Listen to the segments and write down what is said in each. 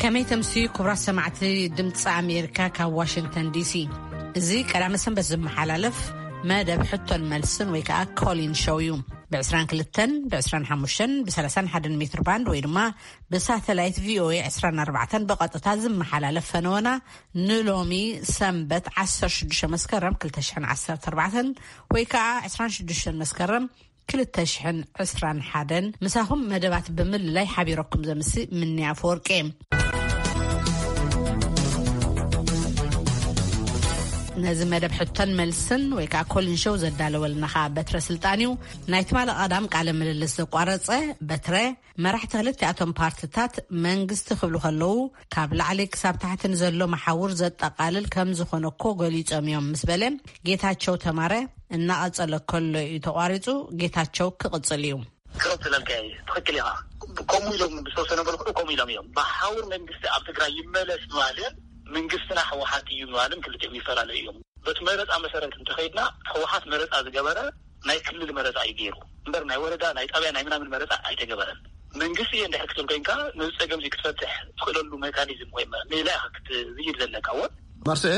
ከመይ ተምሲ ክቡራት ሰማዕቲ ድምፂ ኣሜሪካ ካብ ዋሽንግተን ዲሲ። እዚ ቀዳመ ሰንበት ዝመሓላለፍ መደብ ሕቶን መልስን ወይ ከዓ ኮሊን ሾው እዩ። ብ25፣ ብ25፣ ብ31 ሜትር ባንድ ወይ ድማ ብሳተላይት ቪኦኤ 24 ብቐጥታ ዝመሓላለፍ ፈነወና ንሎሚ ሰንበት 16 መስከረም 2014 ወይ ከዓ 26 መስከረም 2021 ምሳኹም መደባት ብምልላይ ሓቢረኩም ዘምሲ ምንያ ኣፈወርቂ። ነዚ መደብ ሕቶን መልስን ወይ ከዓ ኮሊን ሾው ዘዳለወልና ከዓ በትረ ስልጣን እዩ። ናይ ትማሊ ቀዳም ቃለ ምልልስ ዘቋረፀ በትረ፣ መራሕቲ ክልቲኣቶም ፓርትታት መንግስቲ ክብሉ ከለዉ ካብ ላዕሊ ክሳብ ታሕቲ ንዘሎ መሓውር ዘጠቓልል ከም ዝኾነ እኮ ገሊጾም እዮም ምስ በለ፣ ጌታቸው ተማረ እናቐጸለ ከሎ እዩ ተቋሪጹ። ጌታቸው ክቕጽል እዩ። ክረብ ስለልካ እዩ። ትኽክል ኢኻ። ከምኡ ኢሎም ዝተወሰነ መልክዑ ከምኡ ኢሎም እዮም። መሓውር መንግስቲ ኣብ ትግራይ ይመለስ ምባልን መንግስትና ህወሓት እዩ ምባልን ክልቲኦም ይፈላለዩ እዮም። በቲ መረፃ መሰረት እንተኸይድና፣ ህወሓት መረፃ ዝገበረ ናይ ክልል መረፃ እዩ ገይሩ እምበር፣ ናይ ወረዳ፣ ናይ ጣብያ፣ ናይ ምናምን መረፃ ኣይተገበረን። መንግስቲ እየ እንድሕር ክትብል ኮይንካ፣ ነዚ ፀገም እዚ ክትፈትሕ ትኽእለሉ ሜካኒዝም ወይ መ-፣ ሜላ ኢኻ ክትዝይድ ዘለካ። እወ። መርስኤ?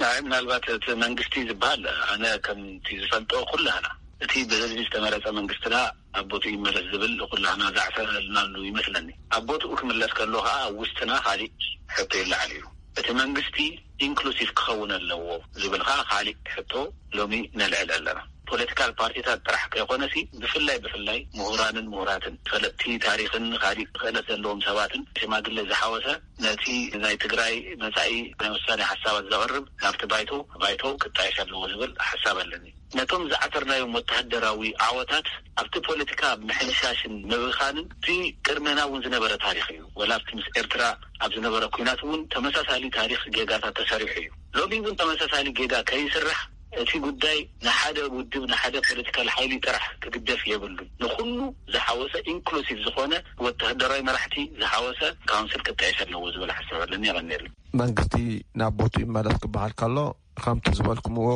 ኣይ፣ ምናልባት እቲ መንግስቲ ዝበሃል፣ ኣነ ከምቲ ዝፈልጦ፣ ኩላህና እቲ ብህዝቢ ዝተመረፀ መንግስትና ኣብ ቦትኡ ይመለስ ዝብል ኩላህና ዛዕፈናሉ ይመስለኒ። ኣብ ቦትኡ ክምለስ ከሎ ከዓ፣ ኣብ ውስጥና ካሊእ ሕቶ ይለዓል እዩ። እቲ መንግስቲ ኢንክሉሲቭ ክኸውን ኣለዎ ዝብል ከዓ ካሊእ ሕቶ ሎሚ ነልዕል ኣለና። ፖለቲካል ፓርቲታት ጥራሕ ከይኮነሲ፣ ብፍላይ ብፍላይ ምሁራንን ምሁራትን፣ ፈለጥቲ ታሪኽን ካሊእ ክእለት ዘለዎም ሰባትን ሽማግለ ዝሓወሰ፣ ነቲ ናይ ትግራይ መጻኢ ናይ ውሳኔ ሓሳባት ዘቕርብ ናብቲ ባይቶ፣ ባይቶ ክጣየሽ ኣለዎ ዝብል ሓሳብ ኣለኒ። ነቶም ዝዓተርናዮም ወተሃደራዊ ዓወታት ኣብቲ ፖለቲካ ምሕንሻሽን ምብኻንን፣ እቲ ቅድመና እውን ዝነበረ ታሪኽ እዩ። ወላ ኣብቲ ምስ ኤርትራ ኣብ ዝነበረ ኲናት እውን ተመሳሳሊ ታሪኽ ጌጋታት ተሰሪሑ እዩ። ሎሚ እውን ተመሳሳሊ ጌጋ ከይስራሕ፣ እቲ ጉዳይ ንሓደ ውድብ፣ ንሓደ ፖለቲካል ሓይሊ ጥራሕ ክግደፍ የብሉን። ንኹሉ ዝሓወሰ፣ ኢንክሉሲቭ ዝኾነ፣ ወተሃደራዊ መራሕቲ ዝሓወሰ ካውንስል ክጣየሽ ኣለዎ ዝብል ሓሳብ ኣለኒ። የቐንየለይ። መንግስቲ ናብ ቦቱ ይመለስ ክበሃል ከሎ፣ ከምቲ ዝበልኩምዎ፣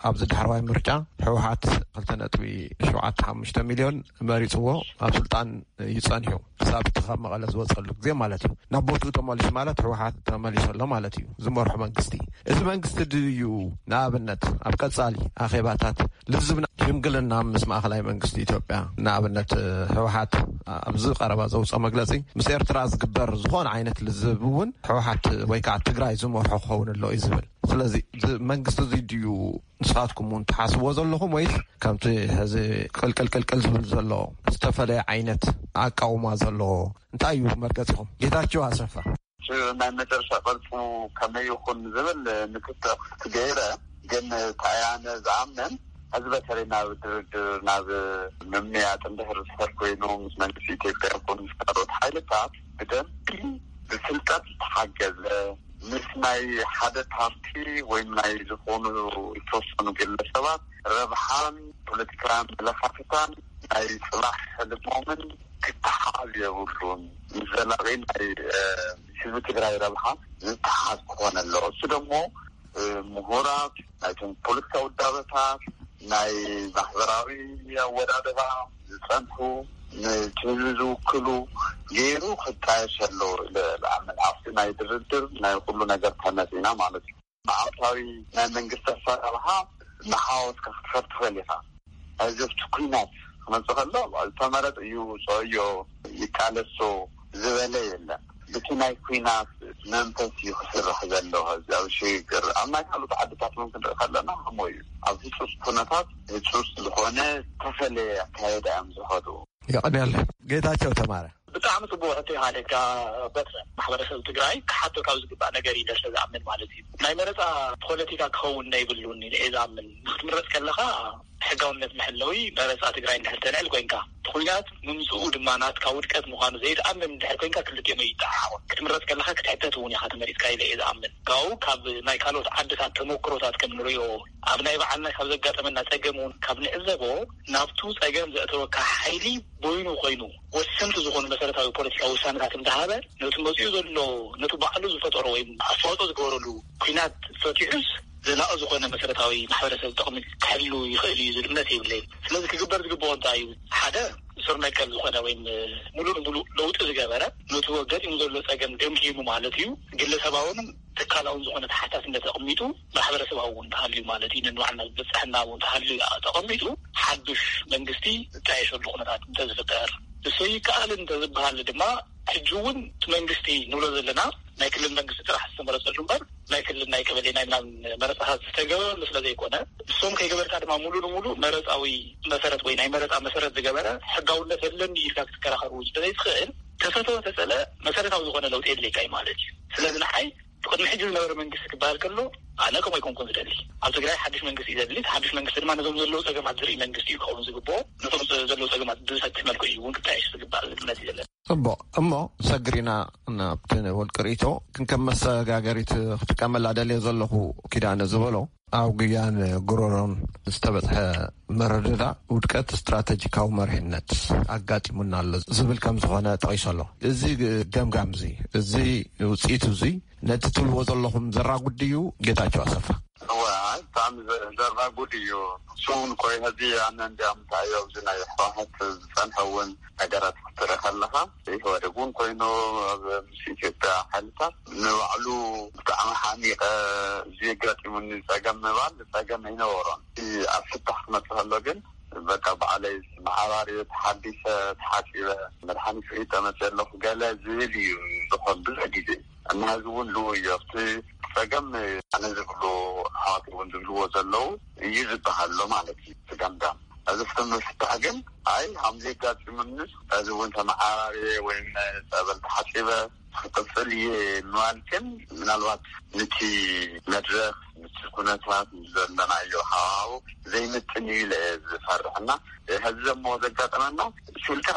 ኣብዚ ዳሕረዋይ ምርጫ ህወሓት 2.75 ሚልዮን መሪፅዎ ኣብ ስልጣን እዩ ጸኒሑ፣ ክሳብ እቲ ካብ መቐለ ዝወፀሉ ግዜ ማለት እዩ። ናብ ቦትኡ ተመሊሱ ማለት ህወሓት ተመሊሱ ኣሎ ማለት እዩ፣ ዝመርሖ መንግስቲ። እዚ መንግስቲ ድዩ ንኣብነት ኣብ ቀጻሊ ኣኼባታት፣ ልዝብና፣ ሽምግልና ምስ ማእኸላይ መንግስቲ ኢትዮጵያ፣ ንኣብነት ህወሓት ኣብዚ ቀረባ ዘውፅኦ መግለፂ፣ ምስ ኤርትራ ዝግበር ዝኾነ ዓይነት ልዝብ እውን ህወሓት ወይ ከዓ ትግራይ ዝመርሖ ክኸውን ኣሎ እዩ ዝብል። ስለዚ እዚ መንግስቲ እዚ ድዩ ንስኻትኩም እውን ትሓስብዎ ዘለኹም፣ ወይስ ከምቲ ሕዚ ቅልቅል ቅልቅል ዝብል ዘሎ ዝተፈለየ ዓይነት ኣቃውማ ዘለዎ? እንታይ እዩ መርገጺኹም? ጌታቸው ኣሰፋ። እቲ ናይ መጨረሻ ቅርጹ ከመይ ይኹን ዝብል ንክትዕ ክፍቲ ገይረ፣ ግን እንታይ ኣነ ዝኣምን፣ ሕዚ በተለይ ናብ ድርድር፣ ናብ ምምያጥ እንድሕር ዝኸድ ኮይኑ፣ ምስ መንግስቲ ኢትዮጵያ ይኹን ምስ ካልኦት ሓይልታት ብደንቢ ብፍልጠት ዝተሓገዘ፣ ምስ ናይ ሓደ ፓርቲ ወይም ናይ ዝኾኑ ዝተወሰኑ ግለሰባት ረብሓን ፖለቲካዊ ኣመለኻኽታን ናይ ጽባሕ ሕልሞምን ክተሓሓዝ የብሉን። ምስ ዘላቒ ናይ፣ እ፣ ህዝቢ ትግራይ ረብሓ ዝተሓሓዝ ክኾን ኣለዎ። እሱ ደሞ፣ እ፣ ምሁራት፣ ናይቶም ፖለቲካዊ ውዳበታት፣ ናይ ማሕበራዊ ኣወዳድባ ዝጸንሑ፣ ነቲ ህዝቢ ዝውክሉ ገይሩ ክጣየሽ ኣለዎ ኢለ ዝኣምን። ኣብቲ ናይ ድርድር ናይ ኩሉ ነገር ተመጺና ማለት እዩ። መዓልታዊ ናይ መንግስቲ ኣሰራርሓ እናሓወስካ ክትፈር ትኽእል ኢኻ። እዚ ኣብቲ ኲናት ክመጽእ ከሎ፣ ዝተመረጠ ይውጽኦ እዮ፣ ይቃለሶ ዝበለ የለን። ብቲ ናይ ኲናት መንፈስ እዩ ክስራሕ ዘሎ። እዚ ኣብ ሽግግር፣ ኣብ ናይ ካልኦት ዓድታት እውን ክንርኢ ከለና ከምኡ እዩ። ኣብ ህጹጽ ኩነታት ህጹጽ ዝኾነ ዝተፈለየ ኣካየዳ እዮም ዝኸዱ። የቐንየለይ። ጌታቸው ተማረ። ብጣዕሚ ጽቡቕ ሕቶ ኢኻ ኣለካ በትረ። ማሕበረሰብ ትግራይ ክሓቶ ካብ ዝግባእ ነገር እዩ ኢለ ስለ ዝኣምን ማለት እዩ። ናይ መረጻ ፖለቲካ ክኸውን የብሉን ኢለ እየ ዝኣምን። ንክትምረጽ ከለኻ ሕጋውነት መሐለዊ መረጻ ትግራይ እንድሕር ተልዕል ኮይንካ፣ እቲ ኲናት ምምጽኡ ድማ ናትካ ውድቀት ምዃኑ ዘይትኣምን እንድሕር ኮይንካ፣ ክልቲኦም ኣይጠዓዓቑን። ክትምረጽ ከለኻ ክትሕተት እውን ኢኻ ተመሪጽካ ኢለ እየ ዝኣምን። ካብኡ ካብ ናይ ካልኦት ዓድታት ተመክሮታት ከም ንርእዮ፣ ኣብ ናይ ባዕልና ካብ ዘጋጠመና ጸገም እውን ካብ ንዕዘቦ፣ ናብቱ ጸገም ዘእተወካ ሓይሊ በይኑ ኮይኑ ወሰንቲ ዝኾኑ መሰረታዊ ፖለቲካዊ ውሳነታት እንዳሃበ፣ ነቲ መጺኡ ዘሎ፣ ነቲ ባዕሉ ዝፈጠሮ ወይም ኣስተዋጽኦ ዝገበረሉ ኲናት ፈቲሑስ ዘላቒ ዝኾነ መሰረታዊ ማሕበረሰብ ጥቕሚ ክሕሉ ይኽእል እዩ ዝብል እምነት የብለይን። ስለዚ ክግበር ዝግብኦ እንታይ እዩ? ሓደ፣ ስር ነቀል ዝኾነ ወይም ሙሉእ ንሙሉእ ለውጢ ዝገበረ፣ ነቲ ገጢሙ ዘሎ ጸገም ገምጊሙ ማለት እዩ። ግለሰባውን ትካላውን ዝኾነ ተሓታትነት ኣቕሚጡ፣ ማሕበረሰባዊ እውን ተሃልዩ ማለት እዩ፣ ንንባዕልና ዝበጽሐና እውን ተሃልዩ ተቐሚጡ፣ ሓዱሽ መንግስቲ ዝጣየሸሉ ኩነታት እንተዝፍጠር፣ እሱ ይከኣል እንተዝበሃል ድማ፣ ሕጂ እውን እቲ መንግስቲ ንብሎ ዘለና ናይ ክልል መንግስቲ ጥራሕ ዝተመረጸሉ እምበር፣ ናይ ክልል ናይ ቀበሌ ናይ ምናምን መረጻታት ዝተገበረሉ ስለ ዘይኮነ፣ እሶም ከይገበርካ ድማ ሙሉ ንሙሉ መረጻዊ መሰረት ወይ ናይ መረጻ መሰረት ዝገበረ ሕጋውነት የለን ኢልካ ክትከራኸር እውን ስለ ዘይትኽእል፣ ተፈተወ ተጸለ መሰረታዊ ዝኾነ ለውጢ የድልየካ እዩ ማለት እዩ። ስለዚ ንዓይ ቅድሚ ሕጂ ዝነበረ መንግስቲ ክበሃል ከሎ፣ ኣነ ከምኡ ኣይኮንኩን ዝደሊ። ኣብ ትግራይ ሓድሽ መንግስቲ እዩ ዘድሊ። እቲ ሓድሽ መንግስቲ ድማ ነዞም ዘለዉ ጸገማት ዝርኢ መንግስቲ እዩ ክኸውን ዝግብኦ። ነቶም ዘለዉ ጸገማት ብዝፈትሕ መልክዑ እዩ እውን ክጣየሽ ዝግባእ ዝብል እምነት እዩ ዘለና። ጽቡቕ። እሞ ሰግሪና ናብቲ ውልቂ ርእይቶ፣ ክንከም መሰጋገሪት ክጥቀመላ ደልየ ዘለኹ፣ ኪዳነ ዝበሎ፣ ኣብ ግያን ጉሮሮን ዝተበጽሐ መረዳዳ ውድቀት ስትራተጂካዊ መሪሕነት ኣጋጢሙና ኣሎ ዝብል ከም ዝኾነ ጠቒሱ ኣሎ። እዚ ገምጋም እዚ፣ እዚ ውጽኢት እዚ፣ ነቲ ትብልዎ ዘለኹም ዘራጉድ ድዩ? ጌታቸው ኣሰፋ። እወ፣ ኣይ፣ ብጣዕሚ ዘ-፣ ዘራጉድ እዩ። እሱ እውን ኮይ፣ ሕዚ ኣነ እንዲያም እንታይ ኣብዚ ናይ ህወሓት ዝጸንሐ እውን ነገራት ክትርኢ ከለኻ፣ ኢህወደግ እውን ኮይኑ ኣብ ምስ ኢትዮጵያ ሓይልታት ንባዕሉ ብጣዕሚ ሓሚቐ፣ እዚ የጋጢሙኒ ጸገም ምባል ጸገም ኣይነበሮን። እቲ ኣብ ፍታሕ ክመጽእ ከሎ ግን በቃ ባዕለይ መዓራርየ ተሓዲሰ ተሓጺበ መድሓኒት ሒጠ መጽእ ኣለኹ ገለ ዝብል እዩ ዝኾን ብዙሕ ግዜ። እና ህዝቢ እውን ልው እዩ ኣብቲ ጸገም ኣነ ዝብሉ ኣሕዋት እውን ዝብልዎ ዘለዉ እዩ ዝበሃል ኣሎ ማለት እዩ። እቲ ገምጋም እዚ ፍትም ምፍታሕ ግን ኣይ ሃምዚ ኣጋጢሙንስ እዚ እውን ተመዓራርየ ወይም ጸበል ተሓጺበ ክቅጽል እየ ምባል ግን ምናልባት ንቲ መድረኽ ንቲ ኩነታት ዘለናዮ ሃዋሁ ዘይምጥን እዩ ኢለ እየ ዝፈርሕ። እና ሕዚ ዘሞ ዘጋጠመና ሽልካ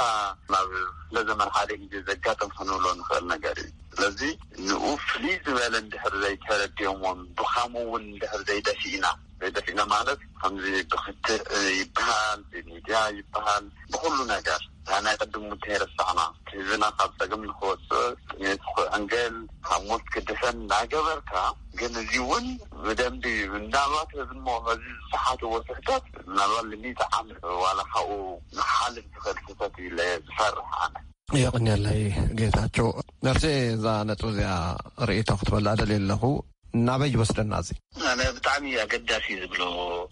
ናብ ክፍለ ዘመን ሓደ ግዜ ዘጋጥም ክንብሎ ንኽእል ነገር እዩ። ስለዚ ንኡ ፍልይ ዝበለ እንድሕር ዘይተረዲኦሞን ብኻሙ እውን እንድሕር ዘይደፊእና ዘይደፊእና ማለት ከምዚ ብክትዕ ይበሃል፣ ብሚድያ ይበሃል፣ ብኩሉ ነገር ናይ ቅድም ሙተ የረሳዕና ህዝብና ካብ ጸገም ንክወፅእ ጥሜት ክዕንገል ካብ ሞት ክድሕን እናገበርካ ግን እዚ እውን ብደንቢ ምናልባት ህዝሞ ህዚ ዝሰሓትዎ ስሕተት ምናልባት ልሚት ዓመት ዋላ ካብኡ ንሓልፍ ዝኽእል ስሕተት ኢለ ዝፈርሕ ኣነ። የቕንየለይ ጌታቸው። ነርሴ እዛ ነጥብ እዚኣ ርእይቶ ክትበላ ደልየ ኣለኹ። ናበይ ይወስደና እዚ? ኣነ ብጣዕሚ ኣገዳሲ ዝብሎ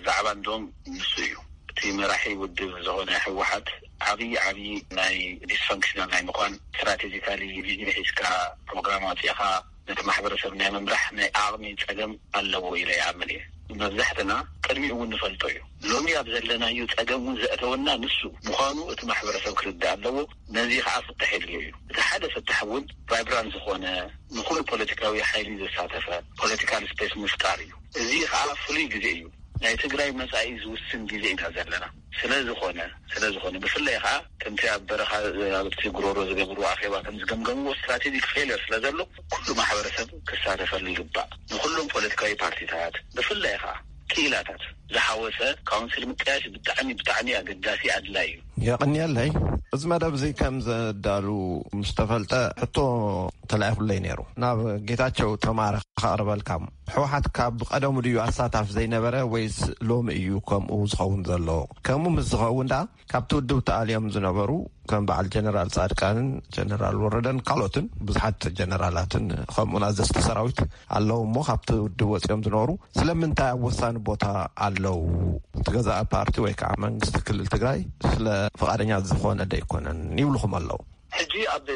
ዛዕባ እንዶም ንሱ እዩ። እቲ መራሒ ውድብ ዝኾነ ህወሓት ዓብዪ ዓብዪ ናይ ዲስፈንክሽናል ናይ ምኳን ስትራቴጂካሊ ቪዥን ሒዝካ ፕሮግራም ኣውፂእኻ ነቲ ማሕበረሰብ ናይ ምምራሕ ናይ ዓቕሚ ፀገም ኣለዎ ኢለ ይኣምን እየ። መብዛሕትና ቅድሚኡ እውን ንፈልጦ እዩ። ሎሚ ኣብ ዘለናዮ ፀገም እውን ዘእተወና ንሱ ምዃኑ እቲ ማሕበረሰብ ክርዳእ ኣለዎ። ነዚ ከዓ ፍታሕ የድልዮ እዩ። እቲ ሓደ ፍታሕ እውን ቫይብራንት ዝኾነ ንኹሉ ፖለቲካዊ ሓይሊ ዘሳተፈ ፖለቲካል ስፔስ ምፍጣር እዩ። እዚ ከዓ ፍሉይ ግዜ እዩ። ናይ ትግራይ መጻኢ ዝውስን ግዜ ኢና ዘለና። ስለዝኾነ ስለዝኾነ ብፍላይ ከዓ ከምቲ ኣብ በረኻ ኣብቲ ጉሮሮ ዝገብሩ ኣኼባ ከም ዝገምገምዎ ስትራቴጂክ ፌለር ስለ ዘሎ ኩሉ ማሕበረሰብ ክሳተፈሉ ይግባእ። ንኩሎም ፖለቲካዊ ፓርቲታት ብፍላይ ከዓ ክኢላታት ዝሓወሰ ካውንስል ምጥያሽ ብጣዕሚ ብጣዕሚ ኣገዳሲ ኣድላይ እዩ። የቕንየለይ። እዚ መደብ እዚ ከም ዘዳሉ ምስ ተፈልጠ ሕቶ ተላኢኹለይ ነይሩ። ናብ ጌታቸው ተማረ ከቕርበልካ። ህወሓት ካብ ቀደሙ ድዩ ኣሳታፍ ዘይነበረ ወይስ ሎሚ እዩ ከምኡ ዝኸውን ዘሎ? ከምኡ ምስ ዝኸውን ደኣ ካብቲ ውድብ ተኣልዮም ዝነበሩ ከም በዓል ጀነራል ጻድቃንን ጀነራል ወረደን ካልኦትን ብዙሓት ጀነራላትን ከምኡን ኣዘዝቲ ሰራዊት ኣለዉ እሞ ካብቲ ውድብ ወጺኦም ዝነበሩ ስለምንታይ ኣብ ወሳኒ ቦታ ኣለዉ? እቲ ገዛኢ ፓርቲ ወይ ከዓ መንግስቲ ክልል ትግራይ ስለ ፍቓደኛ ዝኾነ ደይኮነን ይብልኹም ኣለዉ። ሕጂ ኣብ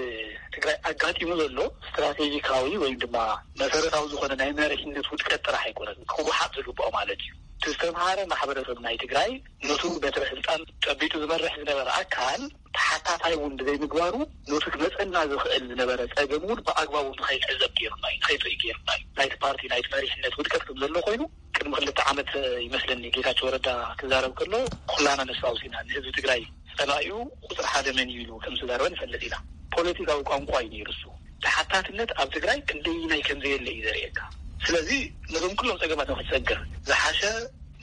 ትግራይ ኣጋጢሙ ዘሎ ስትራቴጂካዊ ወይም ድማ መሰረታዊ ዝኾነ ናይ መሪሕነት ውድቀት ጥራሕ ኣይኮነን ክወሓጥ ዝግብኦ ማለት እዩ። እቲ ዝተምሃረ ማሕበረሰብ ናይ ትግራይ ነቱ በትረ ስልጣን ጨቢጡ ዝመርሕ ዝነበረ ኣካል ተሓታታይ እውን ብዘይምግባሩ ነቱ ክመፀና ዝኽእል ዝነበረ ፀገም እውን ብኣግባቡ ንኸይንዕዘብ ገይሩና እዩ፣ ንኸይትርኢ ገይሩና እዩ። ናይቲ ፓርቲ ናይቲ መሪሕነት ውድቀት ከም ዘሎ ኮይኑ ቅድሚ ክልተ ዓመት ይመስለኒ ጌታቸው ረዳ ክዛረብ ከሎ ኩላና ነፍሲ ኣውሲና ንህዝቢ ትግራይ ጸላኢኡ ቁጽሪ ሓደ መን እዩ ኢሉ ከም ዝተዛረበ ንፈልጥ ኢና። ፖለቲካዊ ቋንቋ እዩ ነይሩ እሱ። ተሓታትነት ኣብ ትግራይ ክንደይናይ ከም ዘየለ እዩ ዘርእየካ። ስለዚ ነዞም ኩሎም ጸገማት ንክትሰግር ዝሓሸ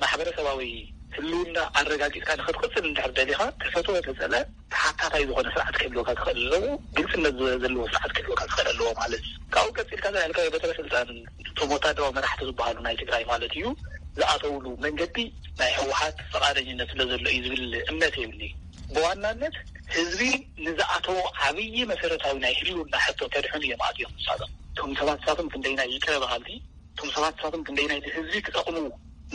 ማሕበረሰባዊ ህልውና ኣረጋጊጽካ ንክትቅጽል እንድሕር ደሊኻ ተፈትወ ተጸለ ተሓታታይ ዝኾነ ስርዓት ክህልወካ ክኽእል ኣለዎ። ግልጽነት ዘ-፣ ዘለዎ ስርዓት ክህልወካ ክኽእል ኣለዎ ማለት እዩ። ካብኡ ቀጺልካ ዘልካዮ በትረ ስልጣን እቶም ወታደራዊ መራሕቲ ዝበሃሉ ናይ ትግራይ ማለት እዩ ዝኣተውሉ መንገዲ ናይ ህወሓት ፈቓደኝነት ስለ ዘሎ እዩ ዝብል እምነት የብልኒ። ብዋናነት ህዝቢ ንዝኣተዎ ዓብዪ መሰረታዊ ናይ ህልውና ሕቶ ከድሕኑ እዮም ኣትዮም ንሳቶም። እቶም ሰባት ንሳቶም ክንደይናይ ይቅረ በሃልቲ፣ እቶም ሰባት ንሳቶም ክንደይናይ ንህዝቢ ክጠቕሙ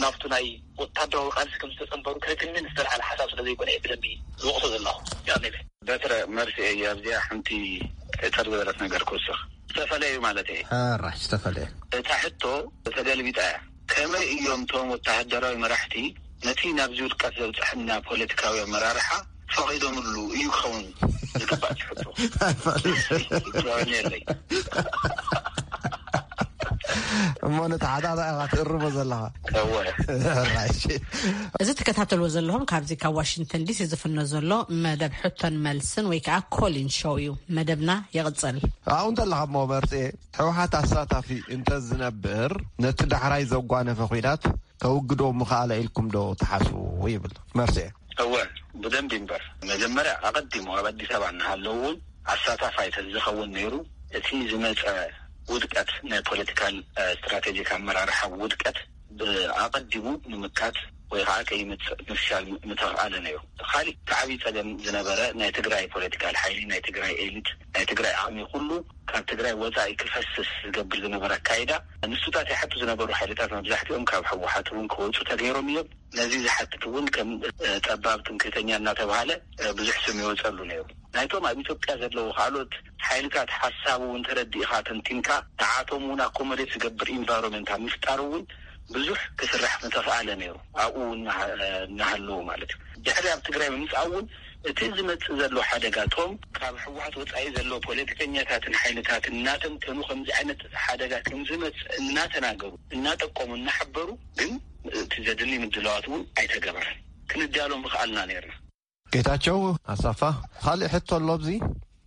ናብቱ ናይ ወታደራዊ ቃልሲ ከም ዝተጸንበሩ ከግንን ዝተልዓለ ሓሳብ ስለ ዘይኮነ እየ ብደንቢ ዝወቕሶ ዘለኹ። ያኔ በትረ መርሲ እየ ኣብዚኣ ሓንቲ ሕጽር ዝበለት ነገር ክውስኽ። ዝተፈለዩ ማለት እየ። ሕራይ ዝተፈለየ። እታ ሕቶ ተገልቢጣ እያ። ከመይ እዮም እቶም ወተሃደራዊ መራሕቲ ነቲ ናብዚ ውድቀት ዘብጽሐና ፖለቲካዊ ኣመራርሓ ፈቒዶምሉ እዩ ክኸውን ዝግባእ ትሕቶ? ኣይፈልጥን። እትረአኒ የለይ። እሞ ነቲ ሓታታ ኢኻ ትእርሞ ዘለኻ። እወ። ሕራይ፣ እሺ። እዚ ትከታተልዎ ዘለኹም ካብዚ ካብ ዋሽንግተን ዲሲ ዝፍኖ ዘሎ መደብ ሕቶን መልስን ወይ ከዓ ኮሊን ሾው እዩ። መደብና ይቕጽል። ኣብኡ እንተለኻ እሞ መርፅኤ፣ ህወሓት ኣሳታፊ እንተዝነብር ነቲ ዳሕራይ ዘጓነፈ ኲናት ከውግዶ ምኽኣለ ኢልኩም ዶ ትሓስቡ? ይብል መርፅኤ። እወ፣ ብደንቢ እምበር። መጀመርያ ኣቐዲሙ ኣብ ኣዲስ ኣበባ እናሃለዉ እውን ኣሳታፋይ ተዝኸውን ነይሩ፣ እቲ ዝመፀ ውድቀት፣ ናይ ፖለቲካል ስትራቴጂክ ኣመራርሓ ውድቀት ብኣቐዲሙ ንምካት ወይ ከዓ ከይመፅእ ምፍሻል ምተኽኣለ ነይሩ። ካሊእ እቲ ዓብዪ ፀገም ዝነበረ ናይ ትግራይ ፖለቲካል ሓይሊ፣ ናይ ትግራይ ኤሊት፣ ናይ ትግራይ ዓቕሚ ኩሉ ካብ ትግራይ ወፃኢ ክፈስስ ዝገብር ዝነበረ ኣካይዳ፣ ንሱታት ይሓቱ ዝነበሩ ሓይልታት መብዛሕትኦም ካብ ህወሓት እውን ክወፁ ተገይሮም እዮም። ነዚ ዝሓትት እውን ከም ጠባብ ትምክህተኛ እናተባሃለ ብዙሕ ስም ይወፀሉ ነይሩ። ናይቶም ኣብ ኢትዮጵያ ዘለዉ ካልኦት ሓይልታት ሓሳብ እውን ተረዲእኻ ተንቲንካ ንዓቶም እውን ኣኮሞዴት ዝገብር ኢንቫይሮንመንት ኣብ ምፍጣር እውን ብዙሕ ክስራሕ ምተኽኣለ ነይሩ። ኣብኡ እናሃለዉ ማለት እዩ። ድሕሪ ኣብ ትግራይ ምምፃእ እውን እቲ ዝመፅእ ዘሎ ሓደጋ እቶም ካብ ህወሓት ወፃኢ ዘለዉ ፖለቲከኛታትን ሓይልታትን እናተንተኑ ከምዚ ዓይነት ሓደጋ ከምዝመፅእ እናተናገሩ እናጠቆሙ እናሓበሩ ግን እቲ ዘድሊ ምድላዋት እውን ኣይተገበረን። ክንዳሎ ምኽኣልና ነይርና። ጌታቸው ኣሰፋ፣ ካልእ ሕቶ ኣሎ ኣብዚ።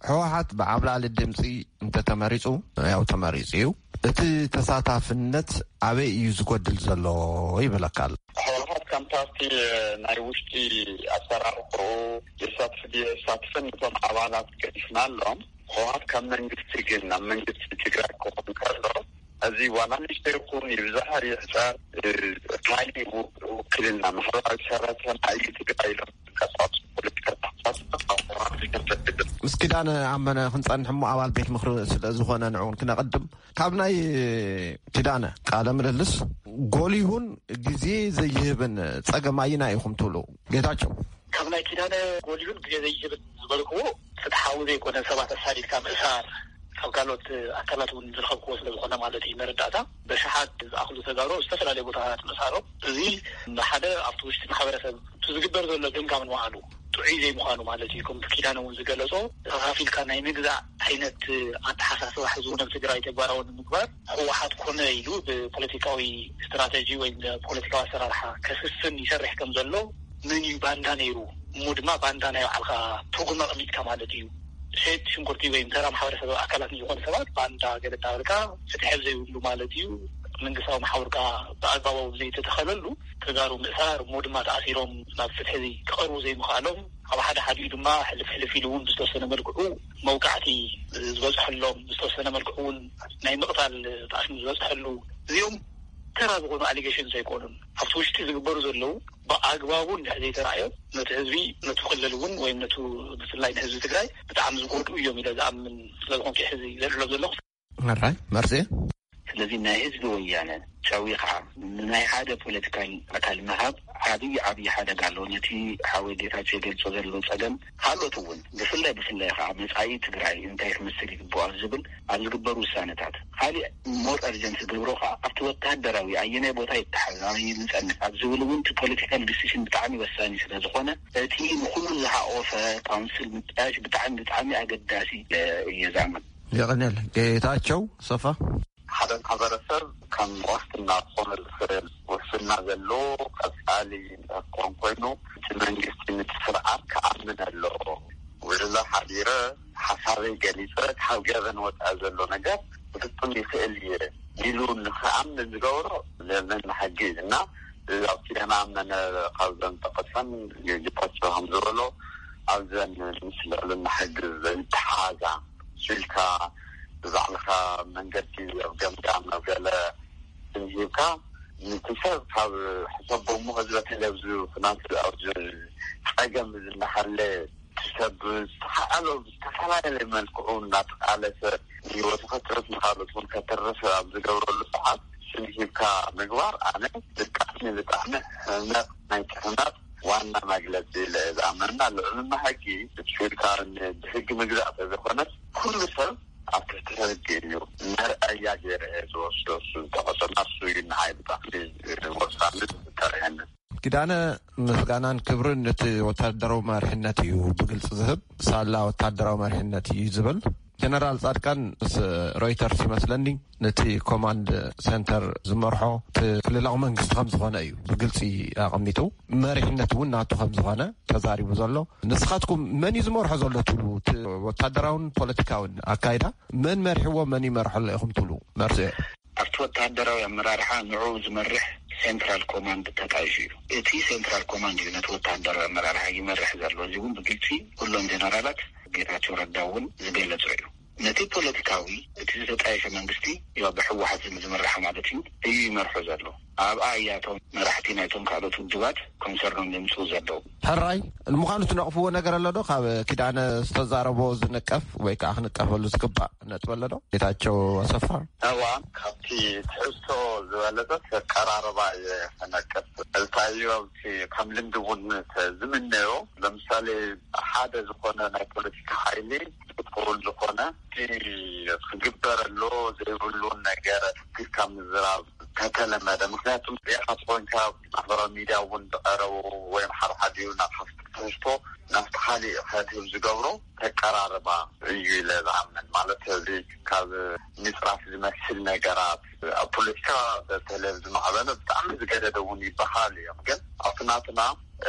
ህወሓት ብዓብላሊ ድምፂ እንተተመሪፁ፣ ያው ተመሪፁ እዩ፣ እቲ ተሳታፍነት ኣበይ እዩ ዝጎድል ዘሎ ይብለካ ኣሎ። ህወሓት ከም ፓርቲ ናይ ውሽጢ ኣሰራርሕኡ የሳትፍ ድየ የሳትፍን እቶም ኣባላት ገዲፍና ኣሎም። ህወሓት ካብ መንግስቲ ግን ናብ መንግስቲ ትግራይ ክኾን ከሎ እዚ ዋላ ንእሽቶ ይኹን ይብዛሕ ይሕፀር ካሊእ ውክልና ማሕበራዊ ሰራተና እዩ ትግራይ ኢሎም ዝንቀሳቀሱ ፖለቲካ ተሓሳስባ ምስ ኪዳነ ኣመነ ክንፀንሕ እሞ ኣባል ቤት ምክሪ ስለ ዝኾነ ንዕውን ክነቐድም ካብ ናይ ኪዳነ ቃለ ምልልስ ጎሊሁን ግዜ ዘይህብን ፀገም ኣይና ኢኹም ትብሉ ጌታቸው? ካብ ናይ ኪዳነ ጎሊሁን ግዜ ዘይህብን ዝበልክዎ ፍትሓዊ ዘይኮነ ሰባት ኣሳዲድካ ምእሳር ካብ ካልኦት ኣካላት እውን ዝረኸብክዎ ስለ ዝኾነ ማለት እዩ። መረዳእታ በሽሓት ዝኣኽሉ ተጋሩ ኣብ ዝተፈላለዩ ቦታታት ምእሳሮም እዚ ሓደ ኣብቲ ውሽጢ ማሕበረሰብ እቲ ዝግበር ዘሎ ገምጋም ንባዕሉ ጥዑይ ዘይምዃኑ ማለት እዩ። ከምቲ ኪዳነ እውን ዝገለጾ ተኻፊልካ ናይ ምግዛእ ዓይነት ኣተሓሳስባ ሕዚ እውን ኣብ ትግራይ ተግባራዊ ንምግባር ህወሓት ኮነ ኢሉ ብፖለቲካዊ ስትራተጂ ወይ ብፖለቲካዊ ኣሰራርሓ ከስፍን ይሰርሕ ከም ዘሎ ምን እዩ ባንዳ ነይሩ እሞ ድማ ባንዳ ናይ ባዕልካ ትርጉም ኣቐሚጥካ ማለት እዩ። ሸየጥቲ ሽንኩርቲ ወይ ተራ ማሕበረሰብ ኣካላት ንዝኾኑ ሰባት ባንዳ ገለ እንዳበልካ ፍትሒ ዘይብሉ ማለት እዩ። መንግስታዊ መሓውርካ ብኣግባቡ ዘይተተኸለሉ ተጋሩ ምእሳር እሞ ድማ ተኣሲሮም ናብ ፍትሒ ክቐርቡ ዘይምኽኣሎም ኣብ ሓደ ሓዲኡ ድማ ሕልፍ ሕልፍ ኢሉ እውን ብዝተወሰነ መልክዑ መውቃዕቲ ዝበፅሐሎም ብዝተወሰነ መልክዑ እውን ናይ ምቕታል ጣዕሚ ዝበፅሐሉ እዚኦም ተራ ዝኾኑ ኣሊጌሽንስ ኣይኮኑን። ኣብቲ ውሽጢ ዝግበሩ ዘለዉ ብኣግባቡ እንድሕር ዘይተራእዮም ነቲ ህዝቢ ነቲ ክልል እውን ወይም ነቲ ብፍላይ ንህዝቢ ትግራይ ብጣዕሚ ዝጎድኡ እዮም ኢለ ዝኣምን ስለ ዝኾንኩ ሕዚ ዘልዕሎም ዘለኹ። ሕራይ መርሴ። ስለዚ ናይ ህዝቢ ወያነ ጨዊኻ ንናይ ሓደ ፖለቲካል ኣካል ምሃብ ዓብዪ ዓብዪ ሓደጋ ኣለዎ። ነቲ ሓወይ ጌታቸው ይገልጾ ዘሎ ጸገም ካልኦት እውን ብፍላይ ብፍላይ ከዓ መጻኢ ትግራይ እንታይ ክመስል ይግብኦ ኣብ ዝብል ኣብ ዝግበሩ ውሳነታት ካሊእ ሞር እርጀንት ዝገብሮ ከዓ ኣብቲ ወታደራዊ ኣየናይ ቦታ ይተሓዝ ኣበይ ንጸንሕ ኣብ ዝብል እውን እቲ ፖለቲካል ዲሲሽን ብጣዕሚ ወሳኒ ስለ ዝኾነ እቲ ንኩሉ ዝሓቆፈ ካውንስል ምጥያሽ ብጣዕሚ ብጣዕሚ ኣገዳሲ እየ ዝኣምን። የቐንየል ጌታቸው ሰፋ። ሓደ ማሕበረሰብ ከም ዋስትና ክኾነ ዝኽእል ውሕስና ዘለዎ ቀፃሊ ክኾን ኮይኑ እቲ መንግስቲ ነቲ ስርዓት ክኣምን ኣለዎ። ውዕሎ ሓዲረ ሓሳበይ ገሊፀ ካብ ገበን ወፃኢ ዘሎ ነገር ክፍፅም ይኽእል እየ ኢሉ ንክኣምን ዝገብሮ ለመን ሕጊ እዩ እና ኣብ ኪዳነ ኣመነ ካብ ዘንጠቀሰን ጌታቸው ከም ዝበሎ ኣብዘን ምስ ልዕልና ሕጊ ዘይተሓዛ ኢልካ ብባዕልኻ መንገዲ ኣብ ገምጋም ኣብ ገለ ስም ሂብካ ነቲ ሰብ ካብ ሕሰቦ እሞ ህዝበ ተለብዙ ኩናት ኣብዚ ፀገም ዝናሃለ ሰብ ዝተሓዓሎ ብዝተፈላለየ መልክዑ እናተቃለሰ ንህይወቱ ከትርፍ ንካልኦት እውን ከትርፍ ኣብ ዝገብረሉ ሰዓት ስም ሂብካ ምግባር ኣነ ብጣዕሚ ብጣዕሚ ሕመቕ ናይ ሕመቕ ዋና መግለፂ ኢለ እየ ዝኣምንና። ልዕልና ሕጊ ብትሽልካ ብሕጊ ምግዛእ ተዘኮነስ ኩሉ ሰብ ኣብ ትሕቲ ሕጊ እዩ። መርኣያ ገይረ እየ ዝወስዶ። እሱ ዝተቐሰና እሱ እዩ ንዓይ ብጣዕሚ ወሳኒ ዝተረየኒ። ኪዳነ፣ ምስጋናን ክብርን ነቲ ወታደራዊ መሪሕነት እዩ ብግልፂ ዝህብ። ሳላ ወታደራዊ መሪሕነት እዩ ዝብል። ጀነራል ጻድቃን ምስ ሮይተርስ ይመስለኒ ነቲ ኮማንድ ሴንተር ዝመርሖ እቲ ክልላዊ መንግስቲ ከም ዝኾነ እዩ ብግልፂ ኣቐሚጡ። መሪሕነት እውን ናቱ ከም ዝኾነ ተዛሪቡ ዘሎ። ንስኻትኩም መን እዩ ዝመርሖ ዘሎ ትብሉ? እቲ ወታደራውን ፖለቲካውን ኣካይዳ መን መሪሕዎ፣ መን ይመርሖ ኣሎ ኢኹም ትብሉ? መርስኤ ኣብቲ ወተሃደራዊ ኣመራርሓ ንዑ ዝመርሕ ሴንትራል ኮማንድ ተጣይሹ እዩ። እቲ ሴንትራል ኮማንድ እዩ ነቲ ወተሃደራዊ ኣመራርሓ ይመርሕ ዘሎ። እዚ እውን ብግልፂ ኩሎም ጀነራላት ጌታቸው ረዳ እውን ዝገለጾ እዩ። ነቲ ፖለቲካዊ እቲ ዝተጣየሸ መንግስቲ ያው ብሕወሓት ዝመርሕ ማለት እዩ እዩ ይመርሖ ዘሎ። ኣብኣ እያ እቶም መራሕቲ ናይቶም ካልኦት ውድባት ኮንሰርኖም ዘምፅኡ ዘለዉ። ሕራይ ንምዃኑ ትነቕፍዎ ነገር ኣሎ ዶ? ካብ ኪዳነ ዝተዛረቦ ዝንቀፍ ወይ ከዓ ክንቀፈሉ ዝግባእ ነጥቢ ኣሎ ዶ? ጌታቸው ኣሰፋ። እዋ፣ ካብቲ ትሕዝቶ ዝበለጸ ኣቀራርባ እየ ክነቅፍ። እልታዮ ኣብቲ ከም ልምዲ እውን ዝምነዮ፣ ለምሳሌ ሓደ ዝኾነ ናይ ፖለቲካ ሓይሊ ጥቁል ዝኾነ እቲ ክግበር ኣሎ ዘይብሉን ነገር ትግካ ምዝራብ ከተለመደ። ምክንያቱም ሪኢኻ ተኾይንካ ማሕበራዊ ሚድያ እውን ዝቐረቡ ወይም ሓደ ሓዲኡ ናብ ሓፍቲ ትሕዝቶ ናብቲ ካሊእ ከድህብ ዝገብሮ ተቀራርባ እዩ ኢለ ዝኣምን። ማለት እዚ ካብ ምፅራፍ ዝመስል ነገራት ኣብ ፖለቲካ በተለይ ዝማዕበለ ብጣዕሚ ዝገደደ እውን ይበሃል እዮም። ግን ኣብቲ ናትና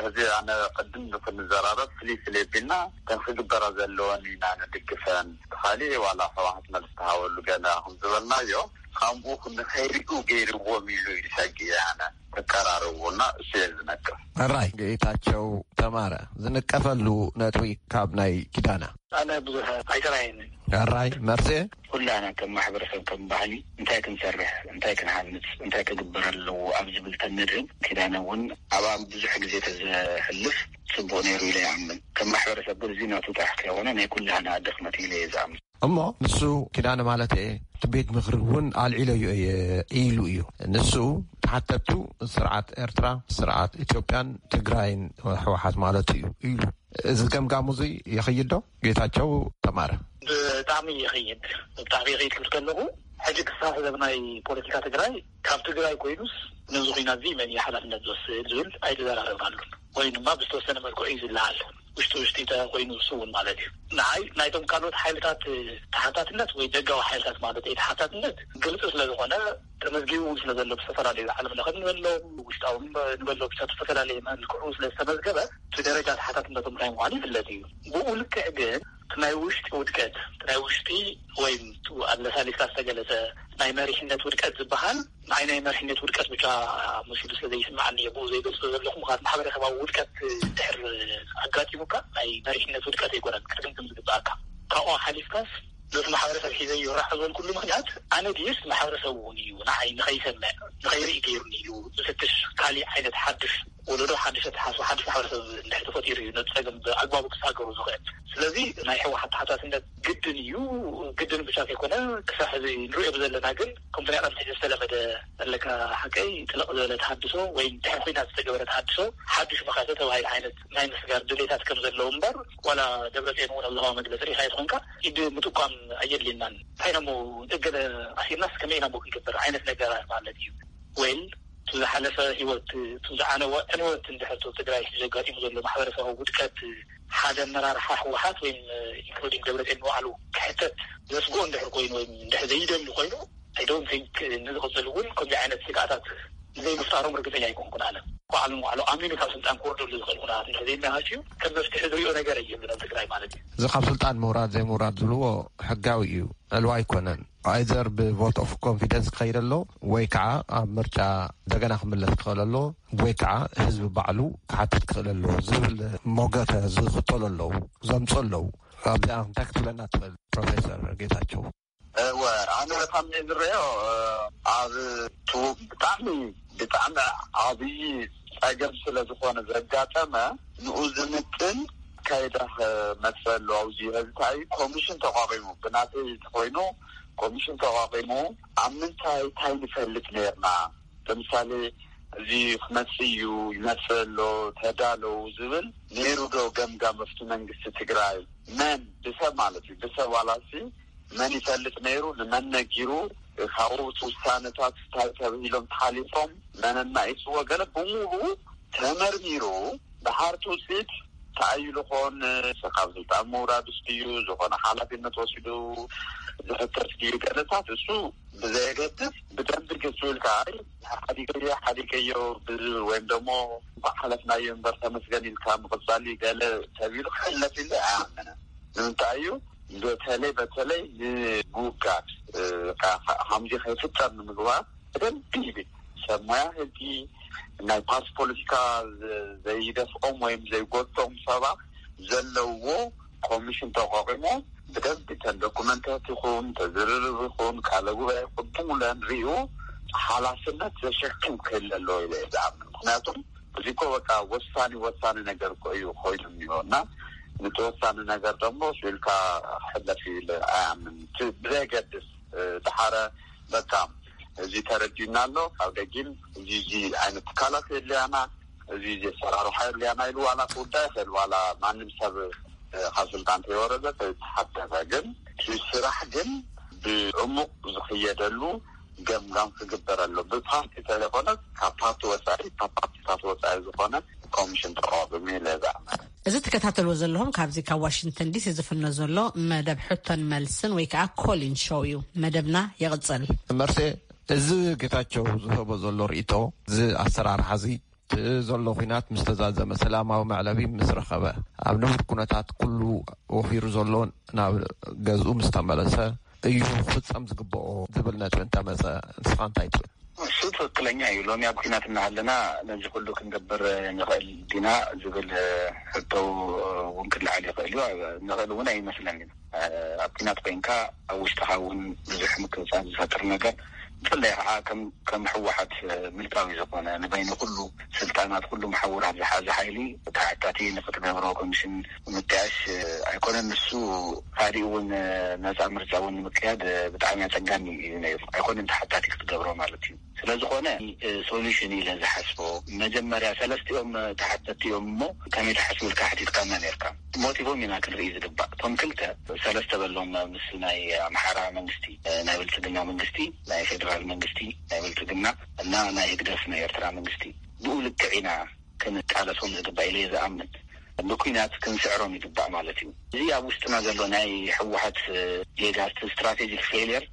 እዚ ኣነ ቅድም ክንዘራረብ ፍልይ ፍልይ ቢልና እተን ክግበራ ዘለወን ኢና ንድግፈን። ካሊእ ዋላ ህወሓት መልስ ተሃበሉ ገለ ከም ዝበልናዮ ከምኡ ንኸይሪኡ ገይርዎም ኢሉ እዩ ሰጊ ኣነ ተቀራርቡና እሱ እየ ዝነቅፍ። ሕራይ ጌታቸው ተማረ ዝንቀፈሉ ነጥቢ ካብ ናይ ኪዳነ። ኣነ ብዙሕ ኣይተራየንን። ሕራይ መርሴ። ኩላና ከም ማሕበረሰብ ከም ባህሊ እንታይ ክንሰርሕ እንታይ ክንሃንፅ እንታይ ክግበር ኣለዎ ኣብ ዝብል ተንድህብ ኪዳነ እውን ኣብኣ ብዙሕ ግዜ ተዘሕልፍ ፅቡቅ ነይሩ ኢለ ይኣምን። ከም ማሕበረሰብ ግን እዚ ናቱ ጥራሕ ከይኮነ ናይ ኩላና ድኽመት ኢለ እየ ዝኣምን። እሞ ንሱ ኪዳነ ማለት እየ እቲ ቤት ምክሪ እውን ኣልዒለዮ እየ ኢሉ እዩ። ንሱ ተሓተቱ ስርዓት ኤርትራ ስርዓት ኢትዮጵያን ትግራይን ህወሓት ማለት እዩ ኢሉ። እዚ ገምጋሙ እዚ ይኸይድ ዶ? ጌታቸው ተማረ። ብጣዕሚ ይኸይድ። ብጣዕሚ ይኸይድ ክብል ከለኹ ሕጂ ክሳብ ሕዚ ኣብ ናይ ፖለቲካ ትግራይ ካብ ትግራይ ኮይኑስ ነዚ ኩናት እዚ መን እዩ ሓላፍነት ዝወስድ ዝብል ኣይተዘራረብናሉን ወይ ድማ ብዝተወሰነ መልክዑ እዩ ዝለዓል። ውሽጢ ውሽጢ ተኮይኑ ንሱ እውን ማለት እዩ። ንዓይ ናይቶም ካልኦት ሓይልታት ተሓታትነት ወይ ደጋዊ ሓይልታት ማለት እዩ ተሓታትነት ግልፂ ስለዝኾነ ተመዝጊቡ እውን ስለዘሎ ብዝተፈላለዩ ዓለም ለኸ ንበሎም ውሽጣዊ ንበሎ ብቻ ዝተፈላለየ መልክዑ ስለዝተመዝገበ እቲ ደረጃ ተሓታትነቶም እንታይ ምዃኑ ይፍለጥ እዩ። ብኡ ልክዕ ግን እቲ ናይ ውሽጢ ውድቀት እቲ ናይ ውሽጢ ወይም ኣለሳሊስካ ዝተገለፀ ናይ መሪሕነት ውድቀት ዝበሃል ንዓይ ናይ መሪሕነት ውድቀት ብቻ መሲሉ ስለ ዘይስምዓኒ እየ ብኡ ዘይገልፆ ዘለኹ። ምክንያቱ ማሕበረሰባዊ ውድቀት ድሕር ኣጋጢሙካ ናይ መሪሕነት ውድቀት ኣይኮነን ክትግምግም ዝግብኣካ። ካብኡ ሓሊፍካስ ነቲ ማሕበረሰብ ሒዘ ይራሖ ዝበልኩሉ ምክንያት ኣነ ድዩስ ማሕበረሰብ እውን እዩ ንዓይ ንኸይሰምዕ ንኸይርኢ ገይሩኒ እዩ ዝፍትሽ ካሊእ ዓይነት ሓድሽ ወለዶ ሓድሽ ኣተሓሳስባ ሓድሽ ማሕበረሰብ እንድሕር ተፈጢሩ እዩ ነቲ ፀገም ብኣግባቡ ክሳገሩ ዝኽእል። ስለዚ ናይ ህወሓት ተሓታትነት ግድን እዩ። ግድን ብቻ ከይኮነ ክሳብ ሕዚ ንሪኦ ብዘለና ግን ከምቲ ናይ ቀድሚ ሕዚ ዝተለመደ ኣለካ ሓቀይ ጥልቕ ዝበለ ተሃድሶ ወይ ድሕሪ ኩናት ዝተገበረ ተሃድሶ ሓዱሽ መኸተ ተባሂል ዓይነት ናይ ምስጋር ድሌታት ከም ዘለዉ እምበር ዋላ ደብረፅዮን እውን ኣብ ዝሃቦ መግለፂ ሪኢኻዮ ተኾንካ ኢድ ምጥቋም ኣየድልየናን እንታይ ኢና እሞ እገለ ኣሲርናስ ከመይ ኢና እሞ ክንገብር ዓይነት ነገራት ማለት እዩ ወይ እቲ ዝሓለፈ ህይወት እቲ ዝዓነወ ዕንወት እንድሕር እቲ ትግራይ ሕጂ ኣጋጢሙ ዘሎ ማሕበረሰባዊ ውድቀት ሓደ ኣመራርሓ ህወሓት ወይም ኢንክሉዲንግ ደብረፅዮን ንባዕሉ ክሕተት ዘስግኦ እንድሕር ኮይኑ ወይም እንድሕር ዘይደሊ ኮይኑ I don't think ንዝቕፅል እውን ከምዚ ዓይነት ስግኣታት ዘይምፍጣሮም ርግፀኛ ኣይኮንኩን ኣነ ባዕሉ ንባዕሉ ኣሚኑ ካብ ስልጣን ክወርደሉ ዝኽእል ኩነታት እንድሕር ዘይመሃችዩ ከም መፍትሒ ዝሪኦ ነገር የብሉን ኣብ ትግራይ ማለት እዩ። እዚ ካብ ስልጣን ምውራድ ዘይምውራድ ዝብልዎ ሕጋዊ እዩ ዕልዋ ኣይኮነን። Either ብ vote of confidence ክኸይድ ኣሎ ወይ ከዓ ኣብ ምርጫ እንደገና ክምለስ ክኽእል ኣሎ ወይ ከዓ ህዝቢ ባዕሉ ክሓትት ክኽእል ኣሎ ዝብል ሞገተ ዝኽተሉ ኣለዉ ዘምፁ ኣለዉ። ኣብዚኣ እንታይ ክትብለና ትኽእል ፕሮፌሰር ጌታቸው? እወ ኣነ በጣም እየ ዝረዮ ኣብ ብጣዕሚ ብጣዕሚ ዓብዪ ፀገም ስለ ዝኾነ ዘጋጠመ ንኡ ዝምጥን ኣካይዳ መፅእ ኣሎ። ኣብዚ ሕዚ እንታይ ኮሚሽን ተቋቂሙ፣ ብናተይ ተኮይኑ ኮሚሽን ተቋቂሙ ኣብ ምንታይ እንታይ ንፈልጥ ነርና፣ ለምሳሌ እዚ ክመፅእ እዩ፣ ይመፅእ ኣሎ፣ ተዳለው ዝብል ነይሩ ዶ ገምጋም ኣብቲ መንግስቲ ትግራይ? መን ብሰብ ማለት እዩ፣ ብሰብ ዋላሲ መን ይፈልጥ ነይሩ? ንመን ነጊሩ? ካብኡ እቲ ውሳነታት እንታይ ተባሂሎም ተሓሊፎም፣ መን ኣናኢስዎ፣ ገለ ብምሉኡ ተመርሚሩ፣ ድሓር እቲ ውፅኢት እንታይ እዩ ዝኾን? ካብ ስልጣን ምውራድ ውስጥ እዩ ዝኾነ ሓላፊነት ወሲዱ ዝሕተት ድዩ? ገለታት እሱ ብዘየገድስ ብደንቢ ግልፂ ኢልካ፣ ኣይ ሓዲገዮ ሓዲገዮ ብዝብል ወይም ደግሞ እንኳዕ ሓለፍናዮ እምበር ተመስገን ኢልካ ምቕፃል እዩ ገለ ተቢሉ ክሕለፍ ኢለ ኣይኣምንን። ንምንታይ እዩ? በተለይ በተለይ ንምውጋድ፣ እ፣ ካ- ካ- ከምዚ ከይፍጠር ንምግባር ብደንቢ ይብል ሰብ ሞያ ህጊ፣ ናይ ፓርቲ ፖለቲካ ዘ- ዘይደፍኦም ወይም ዘይጎቶም ሰባት ዘለውዎ ኮሚሽን ተቋቂሞ ብደንቢ ተን ዶኩመንታት ይኹን ተዝርርብ ይኹን ቃለ ጉባኤ ይኹን ብሙለን ሪኡ ሓላፍነት ዘሸክም ክህለ ኣለዎ ኢለ እየ ዝኣምን። ምክንያቱም እዚ እኮ በቃ ወሳኒ ወሳኒ ነገር እኮ እዩ ኮይኑ እኒሆ እና ነቲ ወሳኒ ነገር ደግሞ ስኢልካ ሕለፍ ኢለ ኣያምን። እቲ ብዘየገድስ፣ እ፣ ድሓረ በቃ እዚ ተረዲና ኣሎ ካብ ደጊም እዚ እዚ ዓይነት ትካላት የድልያና፣ እዚ እዚ ኣሰራርሓ የድልያና ኢሉ ዋላ ክውዳ ይኽእል፣ ዋላ ማንም ሰብ፣ እ፣ ካብ ስልጣን ተይወረደ ተይተሓተተ፣ ግን እቲ ስራሕ ግን ብዕሙቕ ዝኽየደሉ ገምጋም ክግበረሉ ብፓርቲ ተለይኮነ ካብ ፓርቲ ወፃኢ ካብ ፓርቲታት ወፃኢ ዝኾነ ኮሚሽን ተቋቁሚ ኢለ ዝኣምን። እዚ ትከታተልዎ ዘለኹም ካብዚ ካብ ዋሽንግተን ዲሲ ዝፍኖ ዘሎ መደብ ሕቶን መልስን ወይ ከዓ ኮሊን ሾው እዩ። መደብና ይቕፅል። መርሴ፣ እዚ ጌታቸው ዝህቦ ዘሎ ርእይቶ፣ እዚ ኣሰራርሓ እዚ እቲ ዘሎ ኲናት ምስ ተዛዘመ፣ ሰላማዊ መዕለቢ ምስ ረኸበ፣ ኣብ ንቡር ኩነታት ኩሉ ወፊሩ ዘሎ ናብ ገዝኡ ምስ ተመለሰ እዩ ክፍጸም ዝግብኦ ዝብል ነጥቢ እንተመጸ፣ ንስኻ እንታይ ትብል? እሱ ትኽክለኛ እዩ። ሎሚ ኣብ ኲናት እናሃለና ነዚ ኩሉ ክንገብር ንኽእል ዲና ዝብል ሕቶ እውን ክለዓል ይኽእል እዩ። ንኽእል እውን ኣይመስለንን። ኣብ ኲናት ኮይንካ ኣብ ውሽጥኻ እውን ብዙሕ ምክብጻብ ዝፈጥር ነገር፣ ብፍላይ ከዓ ከም ከም ህወሓት ምልካዊ ዝኾነ ንበይኑ ኩሉ ስልጣናት ኩሉ መሓውራት ዝሓዘ ሓይሊ ተሓታቲ ንክትገብሮ ኮሚሽን ምጥያሽ ኣይኮነን። ንሱ ካሊእ እውን ነፃ ምርጫ እውን ንምክያድ ብጣዕሚ ኣፀጋሚ እዩ ነይሩ። ኣይኮነን ተሓታቲ ክትገብሮ ማለት እዩ። ስለዝኾነ ሶሉሽን ኢለ ዝሓስቦ መጀመርያ ሰለስቲኦም ተሓተቲ እዮም እሞ ከመይ ተሓስቡ ኢልካ ሓቲትካና ነርካ። ሞቲቮም ኢና ክንርኢ ዝግባእ። እቶም ክልተ ሰለስተ በሎም ምስ ናይ ኣምሓራ መንግስቲ፣ ናይ ብልፅግና መንግስቲ፣ ናይ ፌደራል መንግስቲ ናይ ብልፅግና እና ናይ ህግደፍ ናይ ኤርትራ መንግስቲ ብኡ ልክዕ ኢና ክንቃለሶም ዝግባእ ኢለ እየ ዝኣምን። ብኲናት ክንስዕሮም ይግባእ ማለት እዩ። እዚ ኣብ ውሽጥና ዘሎ ናይ ህወሓት ጌጋ፣ እቲ ስትራቴጂክ ፌልየር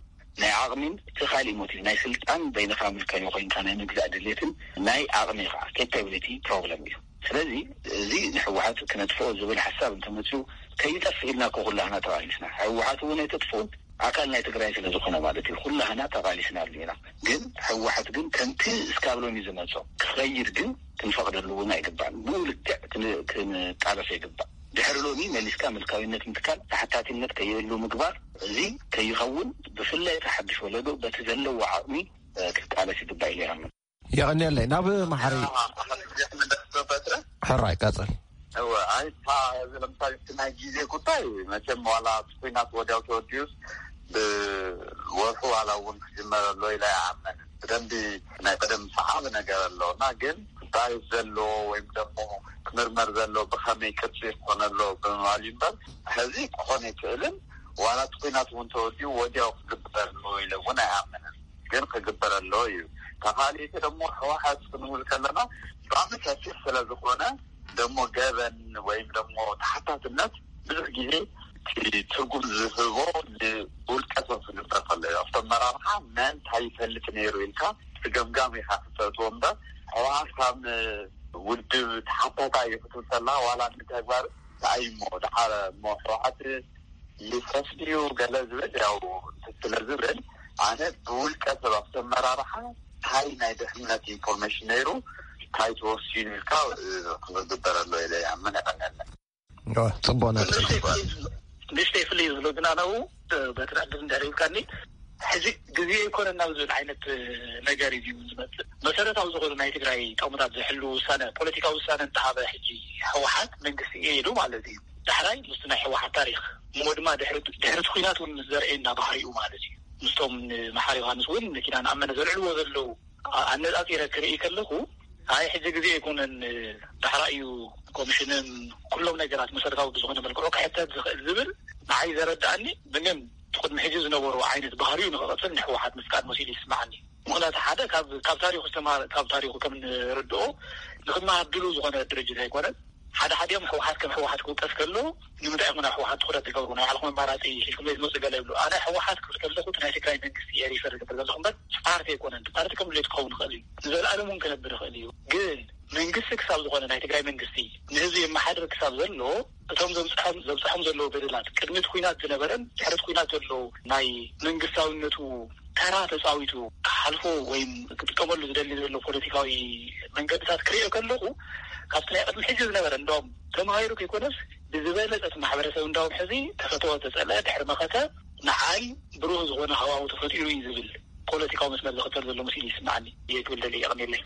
ናይ ዓቕሚን እቲ ካሊእ ሞቲቭ ናይ ስልጣን በይንኻ ምልካዊ ኮይንካ ናይ ምግዛእ ድሌትን ናይ ዓቕሚ ከዓ ኬፓቢሊቲ ፕሮብለም እዩ። ስለዚ እዚ ንህወሓት ክነጥፍኦ ዝብል ሓሳብ እንተመፅኡ ከይጠፍእ ኢልና እኮ ኩላህና ተቓሊስና። ህወሓት እውን ኣይተጥፍኡን፣ ኣካል ናይ ትግራይ ስለ ዝኾነ ማለት እዩ። ኩላህና ተቓሊስናሉ ኢና። ግን ህወሓት ግን ከምቲ እስካብ ሎሚ ዝመፆ ክኸይድ ግን ክንፈቕደሉ እውን ኣይግባእን። ብኡ ልክዕ ክን- ክንቃለሶ ይግባእ። ድሕሪ ሎሚ መሊስካ ምልካዊነት ምትካል፣ ተሓታትነት ከይህሉ ምግባር፣ እዚ ከይኸውን ብፍላይ እቲ ሓድሽ ወለዶ በቲ ዘለዎ ዓቕሚ እ፣ ክቃለስ ይግባእ ኢለ ይኣምን። የቐንየለይ። ናብ መሓሪ ሕራይ ቀጽል። እወ፣ ኣይ፣ እታ፣ እዚ ለምሳሌ እቲ ናይ ግዜ ጉዳይ መቸም ዋላ እቲ ኲናት ወዲያው ተወዲኡስ ብወርሑ ዋላ እውን ክጅመር ኣሎ ኢለ ኣይኣምን። ብደንቢ ናይ ቀደም ሰዓቢ ነገር ኣሎ እና ግን እንታይ ዘሎ ወይም ደግሞ ክምርመር ዘሎ ብኸመይ ቅርጺ ክኾነ ኣሎ ብምባል እዩ እምበር፣ ሕዚ ክኾን ኣይክእልን። ዋላ እቲ ኲናት እውን ተወዲኡ ወዲያው ክግበር ኣሎ ኢለ እውን ኣይኣምንን። ግን ክግበር ኣለዎ እዩ። ተኻሊእቲ ደግሞ ህወሓት ክንብል ከለና ብጣዕሚ ሰፊሕ ስለ ዝኾነ ደሞ ገበን ወይም ደሞ ተሓታትነት ብዙሕ ግዜ እቲ ትርጉም ዝህቦ ንውልቀ ሰብ ክግበር ከሎ እዩ። ኣብቲ ኣመራርሓ መን እንታይ ይፈልጥ ነይሩ ኢልካ እቲ ገምጋም ኢኻ ክተእትዎ እምበር ህወሓት ካብ ውድብ ተሓታታይ እዩ ክትብል ከለኻ ዋላ ንተግባር እንታይ እሞ ደሓር እሞ ህወሓት ይፍረስ ድዩ ገለ ዝብል ያው ስለ ዝብል ኣነ ብውልቀ ሰብ ኣብቲ ኣመራርሓ እንታይ ናይ ድሕነት ኢንፎርሜሽን ነይሩ እንታይ ተወሲኑ ኢልካ ክዝግበር ኣሎ ኢለ ይኣምን። የቐንየለይ። ጽቡቕ ነጥቢ። ንእሽተይ ፍልይ ዝብሎ ግን ኣነው በቲ ዕድል እንድሕር ሂብካኒ ሕዚ ግዜ ኣይኮነን ናብ ዝብል ዓይነት ነገር እዩ ዝመፅእ። መሰረታዊ ዝኾኑ ናይ ትግራይ ጠሙታት ዝሕሉ ውሳነ ፖለቲካዊ ውሳነ እንተሃበ ሕጂ ህወሓት መንግስቲ እየ ኢሉ ማለት እዩ። ዳሕራይ ምስቲ ናይ ህወሓት ታሪኽ፣ እሞ ድማ ድሕሪ ድሕሪ እቲ ኲናት እውን ምስ ዘርእየና ባህሪኡ ማለት እዩ። ምስቶም ንመሓሪ ዮሃንስ እውን መኪና ንኣመነ ዘልዕልዎ ዘለዉ፣ ኣ- ኣነጻጺረ ክርኢ ከለኹ፣ ኣይ ሕጂ ግዜ ኣይኮነን፣ ዳሕራይ እዩ ኮሚሽንን ኩሎም ነገራት መሰረታዊ ብዝኾነ መልክዑ ክሕተት ዝኽእል ዝብል ንዓይ ዘረድኣኒ። ብግን እቲ ቅድሚ ሕጂ ዝነበሩ ዓይነት ባህሪኡ ንኽቐጽል ንህወሓት ምፍቃድ መሲሉ ይስምዓኒ። ምኽንያቱ ሓደ ካብ ካብ ታሪኹ ዝተማሃረ፣ ካብ ታሪኹ ከም ንርድኦ ንኽመሃር ድሉው ዝኾነ ድርጅት ኣይኮነን። ሓደ ሓዲኦም ህወሓት ከም ህወሓት ክውቀስ ከሎ ንምንታይ ኢኹም ናብ ህወሓት ትኹረት ትገብሩ? ናይ ባዕልኹም ኣማራፂ ሒዝኩም ዘይትመፁ ገለ ይብሉ። ኣነ ህወሓት ክብል ከለኹ እቲ ናይ ትግራይ መንግስቲ እየ ሪፈር ዝገብር ዘለኹ እምበር ፓርቲ ኣይኮነን። ፓርቲ ከም ድሌቱ ክኸውን ይኽእል እዩ፣ ንዘለኣለም እውን ክነብር ይኽእል እዩ። ግን መንግስቲ ክሳብ ዝኾነ፣ ናይ ትግራይ መንግስቲ ንህዝቢ የመሓድር ክሳብ ዘሎ፣ እቶም ዘብፅሖም ዘብፅሖም ዘለዉ በደላት፣ ቅድሚ እቲ ኲናት ዝነበረን ድሕሪ እቲ ኲናት ዘለዉ ናይ መንግስታዊነቱ ተራ ተፃዊቱ ክሓልፎ ወይም ክጥቀመሉ ዝደሊ ዘሎ ፖለቲካዊ መንገድታት ክሪኦ ከለኹ፣ ካብቲ ናይ ቅድሚ ሕጂ ዝነበረ፣ እንደውም ተማሂሩ ከይኮነስ ብዝበለፀ እቲ ማሕበረሰብ እንዳውም ሕዚ ተፈተወ ተፀልአ ድሕሪ መኸተ ንዓይ ብሩህ ዝኾነ ሃዋሁ ተፈጢሩ እዩ ዝብል ፖለቲካዊ መስመር ዝኽተል ዘሎ መሲሉ ይስምዓኒ። እየ ክብል ደልየ። የቐንየለይ።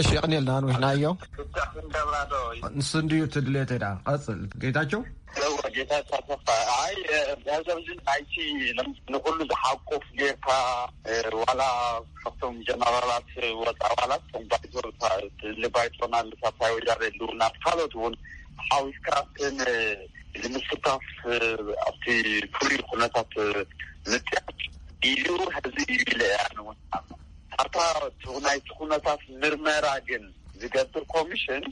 እሺ፣ የቐንየልና፣ ኣንዊሕናዮ። ፍታሕ ክንገብራ ዶ? ንሱ እንድዩ እቲ ድሌተይ። ደኣ ቀጽል ጌታቸው። እወ፣ ጌታቸው ኣሰፋ። ኣይ፣ እ፣ ገንዘብ እዚ ናይቲ ንኹሉ ዝሓቁፍ ጌርካ፣ እ፣ ዋላ ካብቶም ጀነራላት ወፃ፣ ዋላ እቶም ባይቶ፣ ታ-፣ እሊ ባይቶና፣ እሊ ሳልሳይ ወያነ ህልውና፣ ካልኦት እውን ሓዊስካ፣ እትን ንምስታፍ፣ እ፣ ኣብቲ ፍሉይ ኩነታት፣ እ፣ ምጥያሽ ኢሉ ህዝቢ ኢሉ ኢለ እያ ንውን። ኣብታ ናይቲ ኩነታት ምርመራ ግን ዝገብር ኮሚሽን፣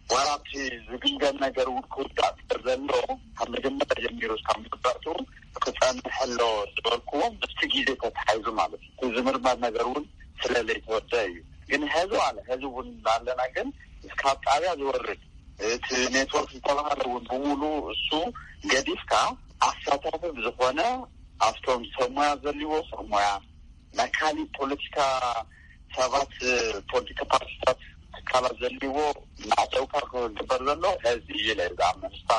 ዋላ ኣብቲ ዝግምገም ነገር እውን ክውዳእ ስለ ዘሎ፣ ካብ መጀመርያ ጀሚሩ እስካብ መወዳእትኡ ክጸንሕ ኣሎ ዝበልክዎ ምስቲ ግዜ ተተሓሒዙ ማለት እዩ። እቲ ዝምርመር ነገር እውን ስለ ዘይተወደአ እዩ። ግን ሐዚ ዋላ ሐዚ እውን እንዳለና ግን እስካብ ጣብያ ዝወርድ እቲ ኔትወርክ ዝተባሃለ እውን ብምሉእ እሱ ገዲፍካ ኣሳታፊ ብዝኾነ ኣብቶም ሰብ ሞያ ዘልዎ ሰብ ሞያ ናይ ካሊእ ፖለቲካ ሰባት፣ ፖለቲካ ፓርቲታት ትካላት ዘልዎ እናዕጠውካ ክግበር ዘሎ ሐዚ እዩ ኢለ ዝኣምን። ንሳ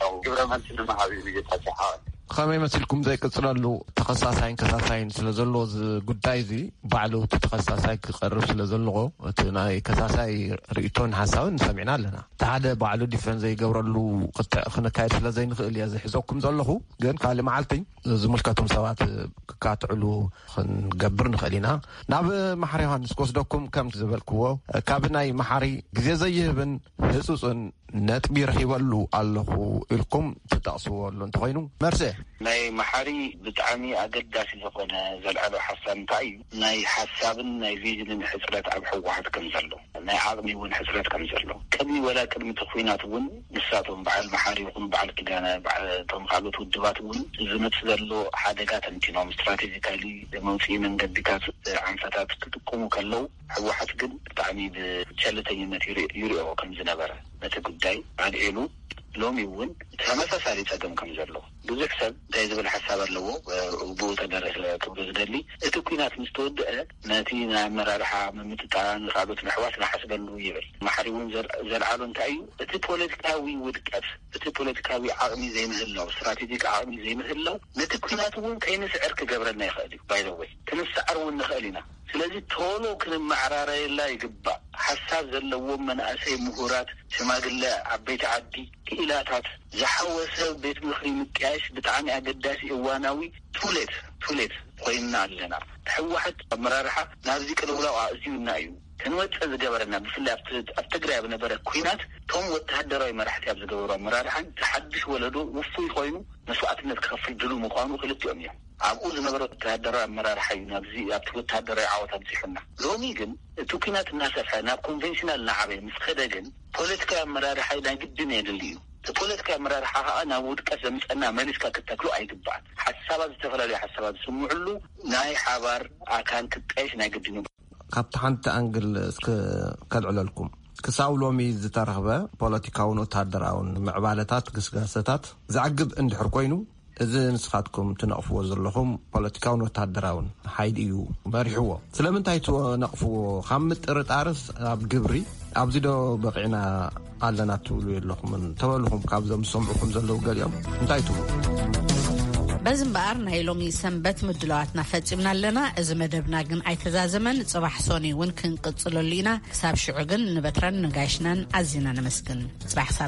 ያው ግብረ መልሲ ንምሃብ እዩ ጌታቸው ሓወይ። ከመይ መሲልኩም ዘይቅጽለሉ ተኸሳሳይን ከሳሳይን ስለ ዘለዎ እዚ ጉዳይ እዚ ባዕሉ እቲ ተኸሳሳይ ክቐርብ ስለ ዘለዎ እቲ ናይ ከሳሳይ ርእይቶን ሓሳብን ሰሚዕና ኣለና። እቲ ሓደ ባዕሉ ዲፈንስ ዘይገብረሉ ክትዕ ክንካየድ ስለ ዘይንኽእል እየ ዝሕዘኩም ዘለኹ። ግን ካልእ መዓልቲ ዝምልከቶም ሰባት ክካትዕሉ ክንገብር ንኽእል ኢና። ናብ መሓሪ ዮሃንስ ክወስደኩም ከም ዝበልክዎ ካብ ናይ መሓሪ ግዜ ዘይህብን ህጹጽን ነጥቢ ረኺበሉ ኣለኹ ኢልኩም ትጠቕስዎ ኣሎ እንተኾይኑ መርሴ። ናይ መሓሪ ብጣዕሚ ኣገዳሲ ዝኾነ ዘልዓሎ ሓሳብ እንታይ እዩ? ናይ ሓሳብን ናይ ቪዥንን ሕፅረት ኣብ ህወሓት ከም ዘሎ፣ ናይ ዓቕሚ እውን ሕፅረት ከም ዘሎ፣ ቅድሚ ወላ ቅድሚ እቲ ኲናት እውን ንሳቶም በዓል መሓሪ ይኹኑ በዓል ኪዳነ፣ በዓል እቶም ካልኦት ውድባት እውን ዝመፅእ ዘሎ ሓደጋ ተንቲኖም ስትራቴጂካሊ መውፅኢ መንገድታት፣ ዓንፈታት ክጥቀሙ ከለዉ፣ ህወሓት ግን ብጣዕሚ ብቸልተኝነት ይርኢ- ይሪኦ ከም ዝነበረ ነቲ ጉዳይ ኣልዒሉ፣ ሎሚ እውን ተመሳሳሊ ፀገም ከም ዘሎ ብዙሕ ሰብ እንታይ ዝብል ሓሳብ ኣለዎ? ብኡ ተደረሰ ክብሎ ዝደሊ፣ እቲ ኲናት ምስ ተወደአ ነቲ ናይ ኣመራርሓ ምምጥጣን፣ ካልኦት ምሕዋስ ንሓስበሉ ይብል። መሓሪ እውን ዘል- ዘልዓሎ እንታይ እዩ? እቲ ፖለቲካዊ ውድቀት፣ እቲ ፖለቲካዊ ዓቕሚ ዘይምህላው፣ ስትራቴጂክ ዓቕሚ ዘይምህላው ነቲ ኲናት እውን ከይንስዕር ክገብረና ይኽእል እዩ። ባይዘወይ ክንሰዓር እውን ንኽእል ኢና። ስለዚ ቶሎ ክንመዓራረየላ ይግባእ። ሓሳብ ዘለዎም መናእሰይ፣ ምሁራት፣ ሽማግለ፣ ዓበይቲ ዓዲ፣ ክኢላታት ዝሓወሰ ቤት ምኽሪ ምጥያሽ ብጣዕሚ ኣገዳሲ እዋናዊ ቱሌት ቱሌት ኮይንና ኣለና። ህወሓት ኣመራርሓ ናብዚ ቅልውላው ኣእትዩና እዩ። ክንወፅእ ዝገበረና ብፍላይ ኣብቲ ኣብ ትግራይ ኣብ ነበረ ኲናት እቶም ወተሃደራዊ መራሕቲ ኣብ ዝገበሩ ኣመራርሓን ዝሓድሽ ወለዶ ውፉይ ኮይኑ መስዋእትነት ክኸፍል ድሉ ምዃኑ ክልቲኦም እዮም። ኣብኡ ዝነበረ ወተሃደራዊ ኣመራርሓ እዩ ናብዚ ኣብቲ ወተሃደራዊ ዓወት ኣብዚሑና። ሎሚ ግን እቲ ኲናት እናሰፍሐ ናብ ኮንቬንሽናል እናዓበየ ምስ ከደ ግን ፖለቲካዊ ኣመራርሓ ናይ ግድን የድሊ እዩ። እቲ ፖለቲካዊ ኣመራርሓ ከዓ ናብ ውድቀት ዘምፀና መሊስካ ክተክሎ ኣይግባእን። ሓሳባት ዝተፈላለዩ ሓሳባት ዝስምዕሉ ናይ ሓባር ኣካል ክጣየሽ ናይ ግድን እዩ። ካብቲ ሓንቲ ኣንግል እስክ ከልዕለልኩም ክሳብ ሎሚ ዝተረኽበ ፖለቲካውን ወተሃደራውን ምዕባለታት ግስጋሰታት ዘዕግብ እንድሕር ኮይኑ እዚ ንስኻትኩም ትነቕፍዎ ዘለኹም ፖለቲካውን ወተሃደራውን ሓይሊ እዩ መሪሕዎ። ስለምንታይ ትነቕፍዎ? ካብ ምጥርጣርስ ኣብ ግብሪ ኣብዚ ዶ በቒዕና ኣለና ትብሉ የለኹምን? ተበልኹም ካብዞም ዝሰምዑኹም ዘለዉ ገሊኦም እንታይ ትብሉ? በዚ እምበኣር ናይ ሎሚ ሰንበት ምድላዋትና ፈጺምና ኣለና። እዚ መደብና ግን ኣይተዛዘመን። ጽባሕ ሶኒ እውን ክንቅጽለሉ ኢና። ክሳብ ሽዑ ግን ንበትረን ንጋይሽናን ኣዚና ነመስግን። ጽባሕ